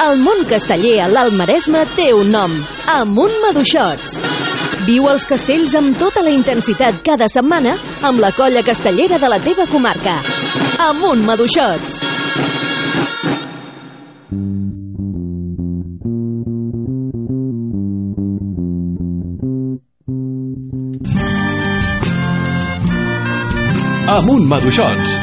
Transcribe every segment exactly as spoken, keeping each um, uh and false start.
El món casteller a l'Alt Maresme té un nom: Amunt Maduixots. Viu els castells amb tota la intensitat cada setmana amb la colla castellera de la teva comarca. Amunt Maduixots. Amunt Maduixots.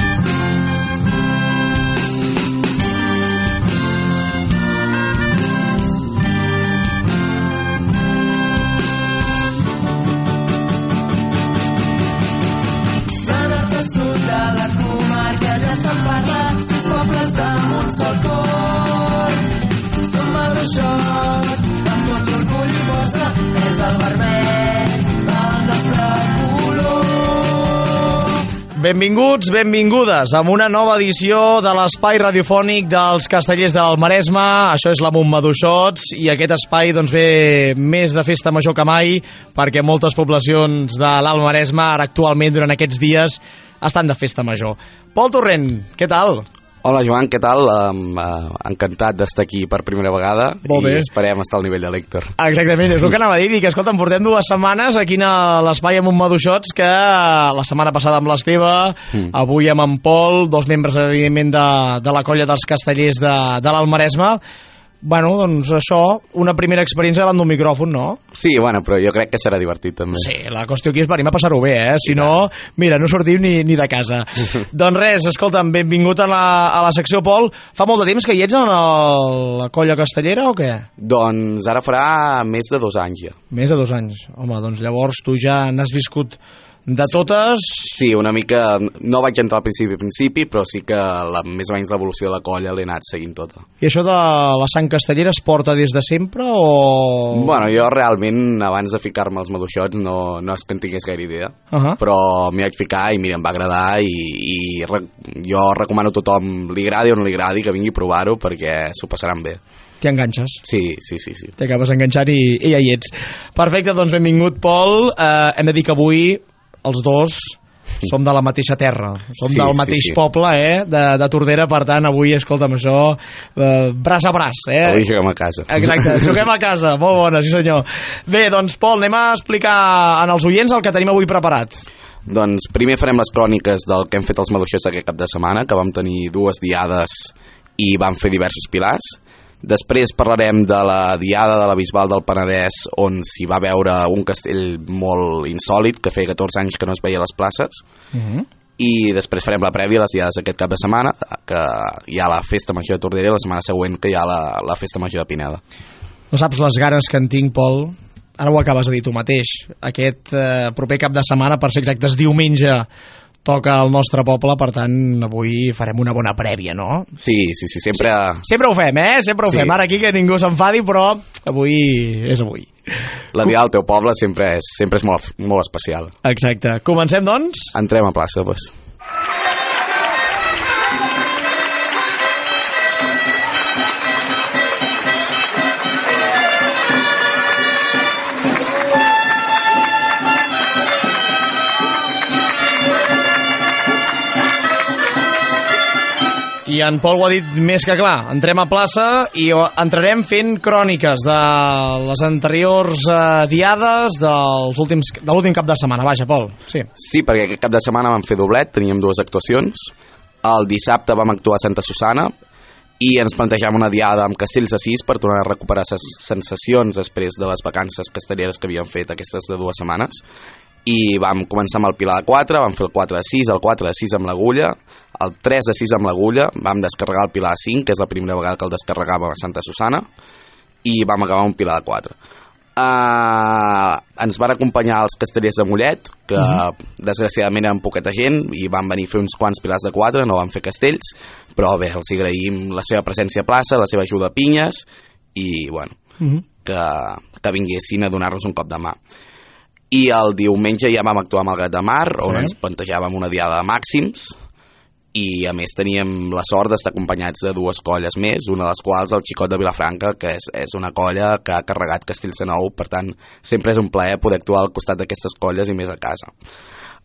Benvinguts, benvingudes a una nova edició de l'espai radiofònic dels castellers del Maresme. Això és l'Amunt Maduixots i aquest espai doncs, ve més de festa major que mai, perquè moltes poblacions de l'Alt Maresme ara actualment durant aquests dies estan de festa major. Pol Torrent, què tal? Hola Joan, què tal? Um, uh, encantat d'estar aquí per primera vegada. Molt bé. I esperem estar al nivell de l'Héctor. Exactament, és el que anava a dir, que escolta, em portem dues setmanes aquí a l'espai Amunt Maduixots, que la setmana passada amb l'Esteve, mm. avui amb en Pol, dos membres evidentment de, de la colla dels castellers de, de l'Alt Maresme. Bueno, doncs això, una primera experiència davant d'un micròfon, no? Sí, bueno, però jo crec que serà divertit també. Sí, la qüestió aquí és venir a passar-ho bé, eh? Si no, mira, no sortim ni, ni de casa. Doncs res, escolta'm, benvingut a la, a la secció, Pol. Fa molt de temps que hi ets en el, la colla castellera o què? Doncs ara farà més de dos anys ja. Més de dos anys. Home, doncs llavors tu ja n'has viscut de totes. Sí, una mica, no vaig entrar al principi a principi, però sí que la, més o menys l'evolució de la colla l'he anat seguint tota. I això de la sang castellera es porta des de sempre o...? Bueno, jo realment abans de ficar-me als maduixots no, no és que en tingués gaire idea, uh-huh. però m'hi vaig ficar i mira, em va agradar i, i re, jo recomano a tothom, li agradi o no li agradi, que vingui a provar-ho perquè s'ho passaran bé. T'hi enganxes. Sí, sí, sí, sí. T'acabes enganxant i, i ja hi ets. Perfecte, doncs benvingut, Pol. Eh, hem de dir que avui els dos som de la mateixa terra, som sí, del mateix sí, sí. poble, eh, de, de Tordera, per tant, avui, escolta'm, això, eh, braç a braç, eh? Avui juguem a casa. Exacte, juguem a casa, molt bona, sí senyor. Bé, doncs, Pol, anem a explicar en els oients el que tenim avui preparat. Doncs primer farem les cròniques del que hem fet els maduixots aquest cap de setmana, que vam tenir dues diades i vam fer diversos pilars. Després parlarem de la diada de la Bisbal del Penedès, on s'hi va veure un castell molt insòlit, que feia catorze anys que no es veia a les places. Uh-huh. I després farem la prèvia a les diades aquest cap de setmana, que hi ha la festa major de Tordera, i la setmana següent que hi ha la, la festa major de Pineda. No saps les ganes que en tinc, Pol? Ara ho acabes de dir tu mateix. Aquest eh, proper cap de setmana, per ser exactes, diumenge, toca al nostre poble, per tant, avui farem una bona prèvia, no? Sí, sí, sí, sempre... Sí, sempre ho fem, eh? Sempre ho sí. fem. Ara aquí que ningú s'enfadi, però avui és avui. La diada al teu poble sempre és, sempre és molt, molt especial. Exacte. Comencem, doncs? Entrem a plaça, doncs. I en Pol ho ha dit més que clar. Entrem a plaça i entrarem fent cròniques de les anteriors eh, diades dels últims, de l'últim cap de setmana. Vaja, Pol. Sí. sí, perquè aquest cap de setmana vam fer doblet, teníem dues actuacions. El dissabte vam actuar a Santa Susana i ens plantejàvem una diada amb Castells de Sis per tornar a recuperar ses sensacions després de les vacances castelleres que havíem fet aquestes de dues setmanes. I vam començar amb el Pilar de quatre, vam fer el quatre de sis, el quatre de sis amb l'Agulla, el tres de sis amb l'Agulla, vam descarregar el Pilar de cinc, que és la primera vegada que el descarregàvem a Santa Susana, i vam acabar un Pilar de quatre. Uh, ens van acompanyar els castellers de Mollet, que uh-huh. desgraciadament eren poqueta gent, i van venir a fer uns quants pilars de quatre, no van fer castells, però bé, els agraïm la seva presència a plaça, la seva ajuda a pinyes, i bueno, uh-huh. que, que vinguessin a donar-nos un cop de mà. I el diumenge ja vam actuar a Malgrat de Mar, on sí. ens plantejàvem una diada de màxims, i a més teníem la sort d'estar acompanyats de dues colles més, una de les quals el Xicot de Vilafranca, que és, és una colla que ha carregat Castells de Nou, per tant sempre és un plaer poder actuar al costat d'aquestes colles i més a casa.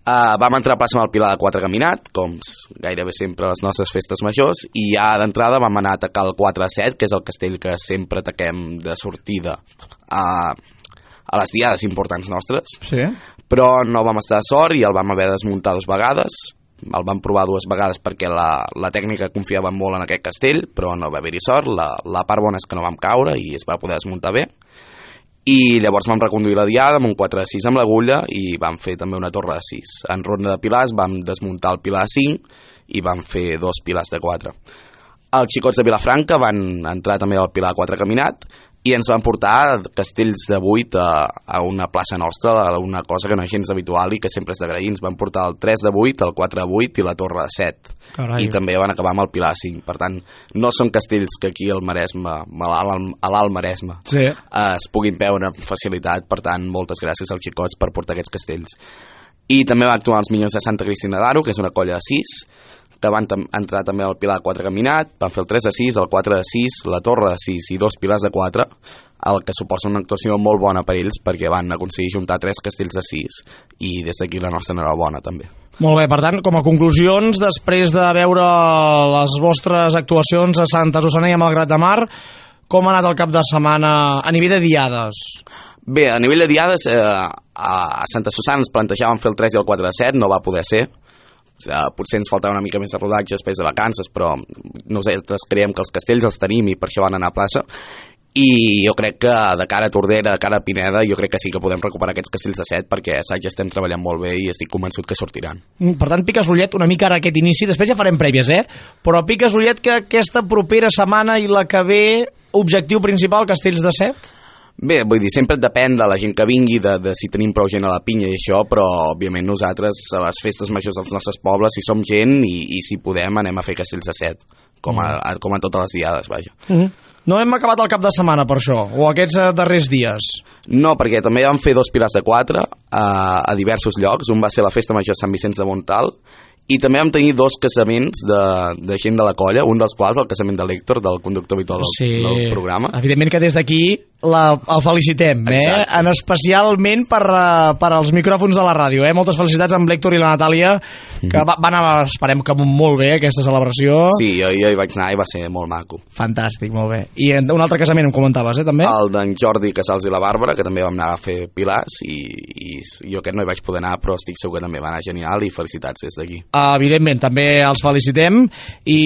Uh, vam entrar a plaça amb el Pilar de quatre caminat, com gairebé sempre a les nostres festes majors, i ja d'entrada vam anar a atacar el quatre a set, que és el castell que sempre ataquem de sortida a, a les diades importants nostres. Sí. Però no vam estar de sort i el vam haver de desmuntar dues vegades. El vam provar dues vegades perquè la, la tècnica confiava molt en aquest castell, però no va haver-hi sort. La, la part bona és que no vam caure i es va poder desmuntar bé. I llavors vam reconduir la diada amb un quatre a sis amb l'agulla i vam fer també una torre de sis. En ronda de pilars vam desmuntar el pilar de cinc i vam fer dos pilars de quatre. Els xicots de Vilafranca van entrar també al pilar de quatre caminat i ens van portar castells de vuit a, a una plaça nostra, una cosa que no és gens habitual i que sempre és d'agrair. Ens van portar el tres de vuit, el quatre de vuit i la torre de set. Carai. I també van acabar amb el pilar cinc. Per tant, no són castells que aquí al Maresme, a l'Alt Maresme, sí. es puguin veure amb facilitat. Per tant, moltes gràcies als xicots per portar aquests castells. I també van actuar els Minyons de Santa Cristina d'Aro, que és una colla de sis, que van tam- entrar també al pilar de quatre caminat, van fer el tres de sis, el quatre de sis, la torre de sis i dos pilars de quatre, el que suposa una actuació molt bona per ells perquè van aconseguir juntar tres castells de sis i des d'aquí la nostra enhorabona també. Molt bé, per tant, com a conclusions, després de veure les vostres actuacions a Santa Susanna i a Malgrat de Mar, com ha anat el cap de setmana a nivell de diades? Bé, a nivell de diades, eh, a Santa Susanna ens plantejàvem fer el tres i el quatre de set, no va poder ser. Uh, potser ens faltava una mica més de rodatge després de vacances, però nosaltres creiem que els castells els tenim i per això van anar a plaça. I jo crec que de cara a Tordera, de cara a Pineda, jo crec que sí que podem recuperar aquests castells de set perquè a Saig estem treballant molt bé i estic convençut que sortiran. Per tant, piques l'ullet una mica ara aquest inici, després ja farem prèvies, eh? Però piques l'ullet que aquesta propera setmana i la que ve, objectiu principal, castells de set? Bé, vull dir, sempre depèn de la gent que vingui, de, de si tenim prou gent a la pinya i això, però òbviament nosaltres a les festes majors dels nostres pobles, si som gent i, i si podem anem a fer castells de set, com a, a, com a totes les diades, vaja. Mm-hmm. No hem acabat el cap de setmana per això, o aquests eh, darrers dies? No, perquè també vam fer dos pilars de quatre a, a diversos llocs. Un va ser la Festa Major de Sant Vicenç de Montal i també vam tenir dos casaments de, de gent de la colla, un dels quals el casament de l'Héctor, del conductor habitual del, sí, del programa. Evidentment que des d'aquí la, el felicitem, eh? En especialment per, per als micròfons de la ràdio. Eh? Moltes felicitats amb l'Héctor i la Natàlia, que va, van anar, esperem que molt bé, aquesta celebració. Sí, jo, jo hi vaig anar i va ser molt maco. Fantàstic, molt bé. I un altre casament em comentaves, eh, també? El d'en Jordi Casals i la Bàrbara, que també vam anar a fer pilars, i, i jo aquest no hi vaig poder anar, però estic segur que també va anar genial, i felicitats des d'aquí. Evidentment, també els felicitem, i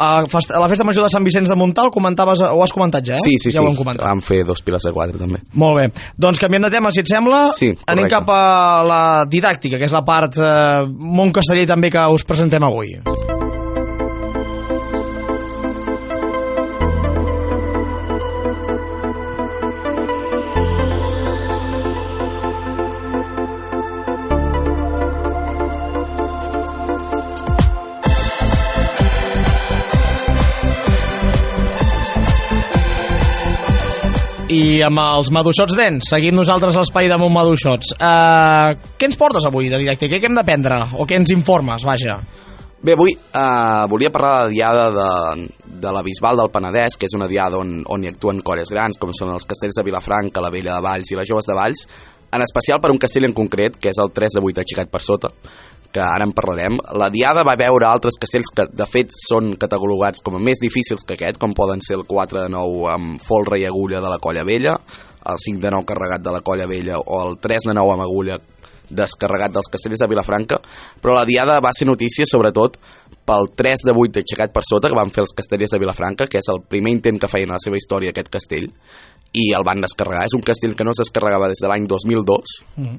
a la Festa Major de Sant Vicenç de Montal comentaves, o has comentat ja, eh? Sí, sí, ja sí, ho hem comentat. vam fer dos pilars de quatre també. Molt bé, doncs canviem de tema, si et sembla. Sí, anem cap a la didàctica, que és la part eh, món casteller també que us presentem avui. I amb els maduixots dents, seguim nosaltres l'espai de Mont Maduixots. Uh, què ens portes avui de didàctica? Què hem d'aprendre? O què ens informes, vaja? Bé, avui uh, volia parlar de la diada de, de la Bisbal del Penedès, que és una diada on, on hi actuen colles grans, com són els castells de Vilafranca, la Vella de Valls i les Joves de Valls, en especial per un castell en concret, que és el tres de vuit aixecat per sota, que ara en parlarem. La diada va veure altres castells que de fet són catalogats com a més difícils que aquest, com poden ser el quatre de nou amb folre i agulla de la Colla Vella, el cinc de nou carregat de la Colla Vella o el tres de nou amb agulla descarregat dels castells de Vilafranca, però la diada va ser notícia sobretot pel tres de vuit aixecat per sota que van fer els castellers de Vilafranca, que és el primer intent que feien a la seva història aquest castell, i el van descarregar. És un castell que no es descarregava des de l'any dos mil dos, mm,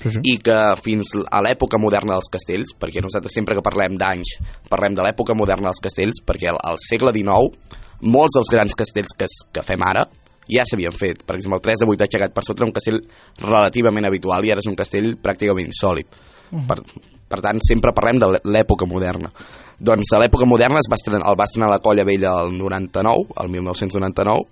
sí, sí. i que fins a l'època moderna dels castells, perquè nosaltres sempre que parlem d'anys parlem de l'època moderna dels castells, perquè al, al segle dinou molts dels grans castells que, que fem ara ja s'havien fet. Per exemple, el tres de vuit aixecat per sota era un castell relativament habitual i ara és un castell pràcticament insòlid. Mm. Per, per tant, sempre parlem de l'època moderna. Doncs a l'època moderna es va estrenar, el va estrenar la Colla Vella el noranta-nou, el mil nou-cents noranta-nou,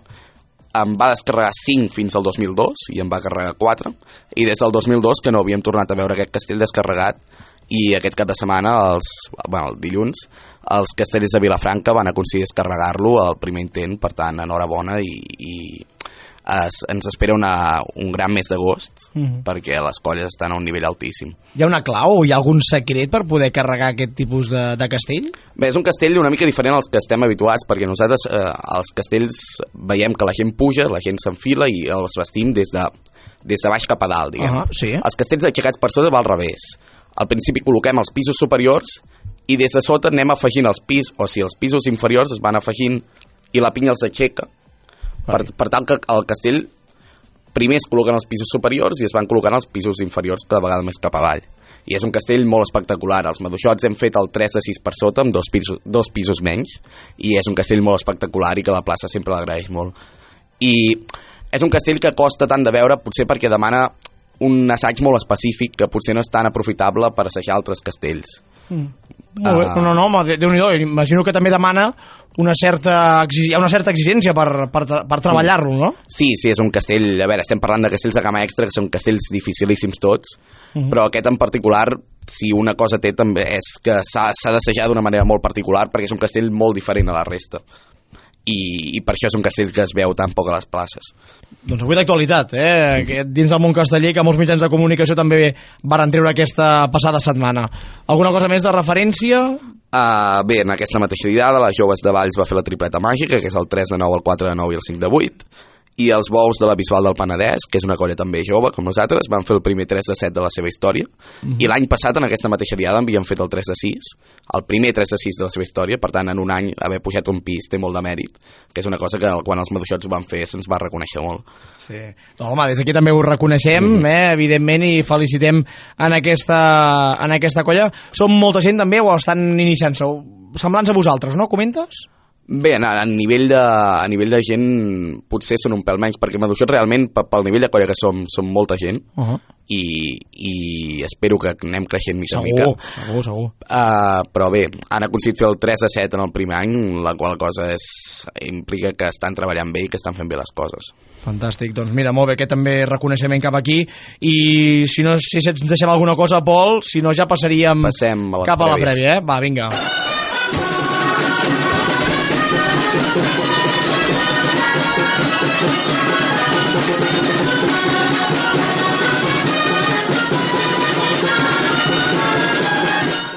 em va descarregar cinc fins al dos mil dos i em va carregar quatre, i des del dos mil dos que no havíem tornat a veure aquest castell descarregat, i aquest cap de setmana, els, bueno, el dilluns, els castellers de Vilafranca van aconseguir descarregar-lo al primer intent, per tant, enhorabona, i, i es, ens espera una, un gran mes d'agost, Mhm. perquè les colles estan a un nivell altíssim. Hi ha una clau o hi ha algun secret per poder carregar aquest tipus de, de castell? Bé, és un castell una mica diferent als que estem habituats, perquè nosaltres eh, als castells veiem que la gent puja, la gent s'enfila i els vestim des de, des de baix cap a dalt, diguem. Uh -huh, sí. Els castells aixecats per sota va al revés. Al principi col·loquem els pisos superiors i des de sota anem afegint els pisos, o sigui, els pisos inferiors es van afegint i la pinya els aixeca. Per, per tant que el castell primer es col·loquen els pisos superiors i es van col·locant els pisos inferiors cada vegada més cap avall. I és un castell molt espectacular. Els maduixots hem fet el tres de sis per sota amb dos pisos, dos pisos menys i és un castell molt espectacular i que la plaça sempre l'agraeix molt. I és un castell que costa tant de veure potser perquè demana un assaig molt específic que potser no és tan aprofitable per assajar altres castells. Mm. Molt bé. Uh, No, no, no, home, Déu-n'hi-do. Imagino que també demana una certa, exig... hi ha una certa exigència per, per, per treballar-lo, no? Sí, sí, és un castell... A veure, estem parlant de castells de gamma extra, que són castells dificilíssims tots, Mhm. però aquest en particular, si una cosa té també és que s'ha d'assajar d'una manera molt particular, perquè és un castell molt diferent a la resta. I, i per això és un castell que es veu tan poc a les places. Doncs avui d'actualitat, eh? Que dins del món casteller, que molts mitjans de comunicació també varen treure aquesta passada setmana. Alguna cosa més de referència? Uh, bé, en aquesta mateixa diada, les Joves de Valls va fer la tripleta màgica, que és el tres de nou, el quatre de nou i el cinc de vuit, i els Bous de la Bisbal del Penedès, que és una colla també jove, com nosaltres, van fer el primer tres de set de la seva història, Mhm. i l'any passat, en aquesta mateixa diada, havien fet el tres de sis, el primer tres de sis de la seva història, per tant, en un any haver pujat un pis té molt de mèrit, que és una cosa que quan els maduixots ho van fer se'ns va reconèixer molt. Sí. No, home, des d'aquí també ho reconeixem, mm. eh, evidentment, i felicitem en aquesta, en aquesta colla. Som molta gent també o estan iniciant-se? Semblants a vosaltres, no? Comentes? Bé, a, a, nivell de, a nivell de gent potser són un pèl menys, perquè Maduixot realment, pel nivell de colla que som, som molta gent, Uh -huh. i, i espero que anem creixent mica en Segur, mica. segur, segur. Uh, però bé, han aconseguit fer el tres a set en el primer any, la qual cosa és, implica que estan treballant bé i que estan fent bé les coses. Fantàstic, doncs mira, molt bé, aquest també reconeixement cap aquí, i si no si ens deixem alguna cosa, Pol, si no ja passaríem Passem a les cap a la prèvies. prèvia, eh? Va, vinga.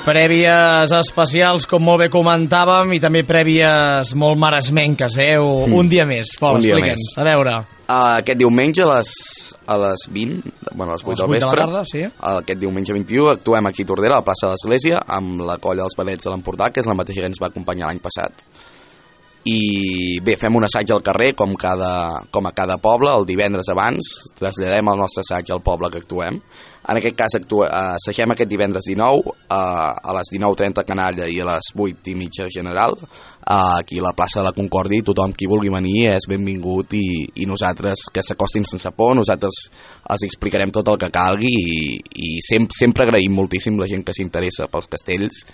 Prèvies especials, com molt bé comentàvem, i també prèvies molt maresmenques, eh? O, Mm. Un dia més, Pol, Un dia explica'ns. més. A veure. Uh, aquest diumenge a les, a les vint, bueno, a les vuit A les del vuit de la vespre, tarda, sí. uh, aquest diumenge vint-i-u, actuem aquí a Tordera, a la plaça de l'Església, amb la colla dels Valets de l'Empordà, que és la mateixa que ens va acompanyar l'any passat. I bé, fem un assaig al carrer, com, cada, com a cada poble, el divendres abans, traslladem el nostre assaig al poble que actuem. En aquest cas, actua, uh, assagem aquest divendres dinou, uh, a les dinou trenta Canalla i a les vuit i mitja General, uh, aquí a la plaça de la Concòrdia, i tothom qui vulgui venir és benvingut, i, i nosaltres que s'acostin sense por, nosaltres els explicarem tot el que calgui, i, i sempre, sempre agraïm moltíssim la gent que s'interessa pels castells,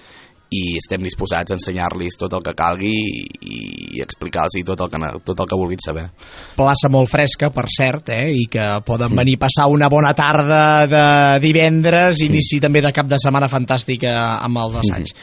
i estem disposats a ensenyar-los tot el que calgui i, i explicar-los tot, el que, tot el que vulguin saber. Plaça molt fresca, per cert, eh? I que poden venir a passar una bona tarda de divendres, inici també de cap de setmana fantàstica amb els assaigs.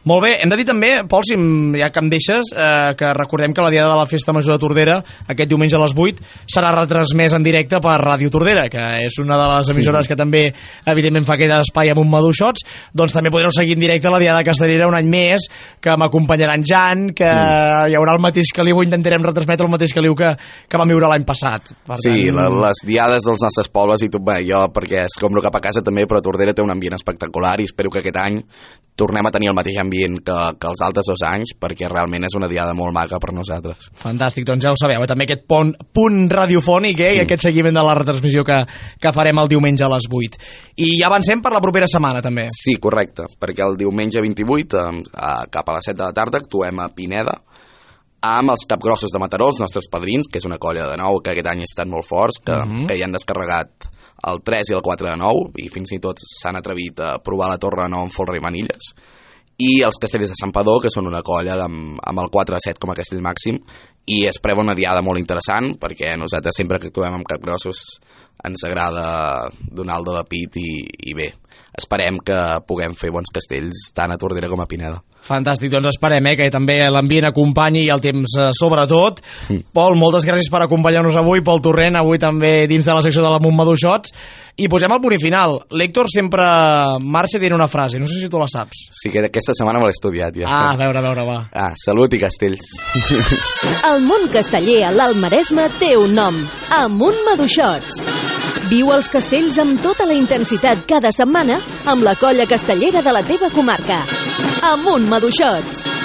Molt bé, hem de dir també, Pol, si em- ja que em deixes, eh, que recordem que la diada de la Festa Major de Tordera, aquest diumenge a les vuit, serà retransmès en directe per Ràdio Tordera, que és una de les emissores que també, evidentment, fa aquest espai amb un Maduixots. Doncs també podreu seguir en directe la diada castellera un any més, que m'acompanyaran Jan, que hi haurà el mateix caliu, intentarem retransmetre el mateix caliu que, que vam viure l'any passat. Per Sí, tant, la, les diades dels nostres pobles i tot, bé, jo perquè escombro cap a casa també, però Tordera té un ambient espectacular i espero que aquest any tornem a tenir el mateix ambient que, que els altres dos anys, perquè realment és una diada molt maca per nosaltres. Fantàstic, doncs ja ho sabeu, eh? També aquest pont, punt radiofònic, eh? I Mm. aquest seguiment de la retransmissió que, que farem el diumenge a les vuit. I ja avancem per la propera setmana, també. Sí, correcte, perquè el diumenge vint-i-vuit, eh, a, cap a les set de la tarda, actuem a Pineda, amb els Capgrossos de Mataró, els nostres padrins, que és una colla de nou que aquest any estan molt forts, que, uh -huh. que ja han descarregat el tres i el quatre de nou, i fins i tot s'han atrevit a provar la torre de nou amb folre i manilles, i els Castellers de Santpedor, que són una colla amb, amb el quatre a set com a castell màxim, i es preva una diada molt interessant, perquè nosaltres sempre que actuem amb Capgrossos ens agrada donar el do de pit, i, i bé, esperem que puguem fer bons castells tant a Tordera com a Pineda. Fantàstic, doncs esperem eh, que també l'ambient acompanyi i el temps eh, sobretot. Mm. Pol, moltes gràcies per acompanyar-nos avui, Pol Torrent, avui també dins de la secció de la Montmadú Shots. I posem el punt i final. L'Héctor sempre marxa dient una frase, no sé si tu la saps. Sí, que aquesta setmana me l'he estudiat ja. Ah, a veure, a veure, va. Ah, salut i castells. El món casteller a l'Alt Maresme té un nom, Amunt Maduixots. Viu els castells amb tota la intensitat cada setmana amb la colla castellera de la teva comarca. Amunt Maduixots.